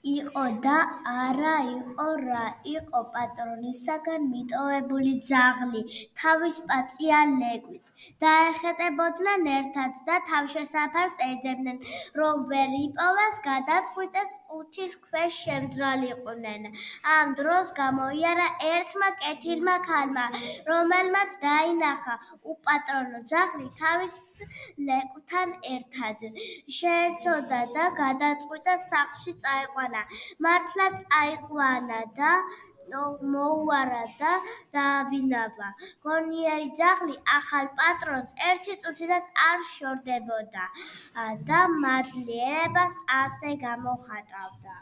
იყო და არა იყო რა იყო პატრონისაგან მიტოვებული ძაღლი თავის პაწია ლეკვით დაეხეტებოდნენ ერთად და თავშესაფარს ეძებდნენ რომ ვერ იპოვეს გადაწყვიტეს ყუთის ქვეშ შემძვალიყვნენ ამ დროს გამოიარა ერთმა კეთილმა ქალმა რომელმაც დაინახა უპატრონო ძაღლი თავის ლეკვთან ერთად შეეცოდა და გადაწყვიტა სახლში წაეყვანა მართლა წაიყვანა და მოუარა და დააბინავა. გონიერი ძაღლი ახალ პატრონს ერთი წუთითაც არ შორდებოდა და მადლიერებას ასე გამოხატავდა.